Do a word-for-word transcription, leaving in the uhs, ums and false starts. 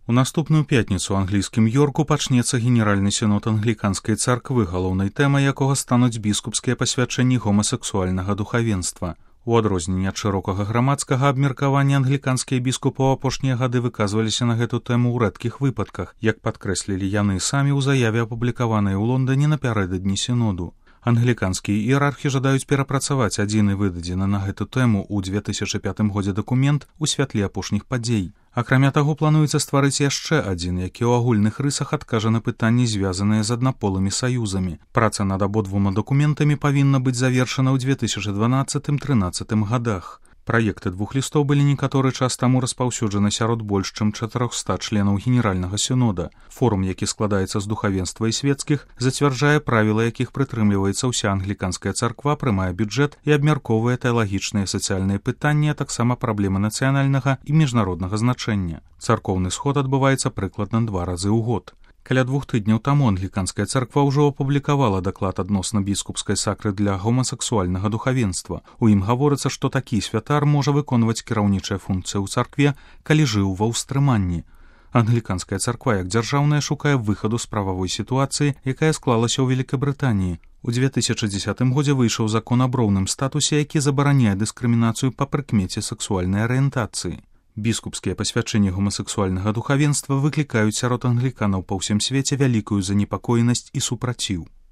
У наступную пятніцу ў англійскім Йорку пачнецца генеральны сінод англіканскай царквы, галоўнай тэмай якога стануць біскупскія пасвячэнні гомасексуальнага духавенства. У адрозненне ад шырокага грамадскага абмеркавання англіканскія біскупы ў апошнія гады выказваліся на гэту тэму ў рэдкіх выпадках, як падкрэслілі яны самі ў заяве, апублікаванай у Лондоне напярэдадні сіноду. Англіканскія іерархі жадаюць перапрацаваць адзіны выдадзены на гэту тэму ў две тысячы пятым годзе дакумент у святле апошніх падзей. Акрамя таго, плануецца стварыць яшчэ адзін, які ў агульных рысах адкажа на пытанні, звязаныя з аднаполымі саюзамі. Праца над абодвума дакументамі павінна быць завершана ў две тысячы дванаццатым-трынаццатым гадах. Праекты двух лістоў былі некаторы час таму распаўсюджаны сярод больш чым чатырохсот членаў генеральнага сінода. Форум, які складаецца з духавенства і свецкіх, зацвярджае правілы, якіх прытрымліваецца ўся англіканская царква, прымае бюджэт і абмяркоўвае тэалагічныя і сацыяльныя пытанні, а таксама праблемы нацыянальнага і міжнароднага значэння. Царкоўны сход адбываецца прыкладна два разы ў год. Каля двух тыдняў таму англіканская царква ўжо апублікавала даклад адносна біскупскай сакры для гомасексуальнага духавенства. У ім гаворыцца, што такі святар можа выконваць кіраўнічыя функцыі ў царкве, калі жыў ва ўстрыманні. Англіканская царква як дзяржаўная шукае выхаду з прававой сітуацыі, якая склалася ў Вялікабрытаніі. У две тысячы дзесятым годзе выйшаў закон аб роўным статусе, які забараняе дыскрымінацыю па прыкмеце сексуальнай арыентацыі. Біскупскія пасвячэнні гомасексуальнага духавенства выклікаюць сярод англіканаў па ўсім свеце вялікую занепакоенасць і супраціў.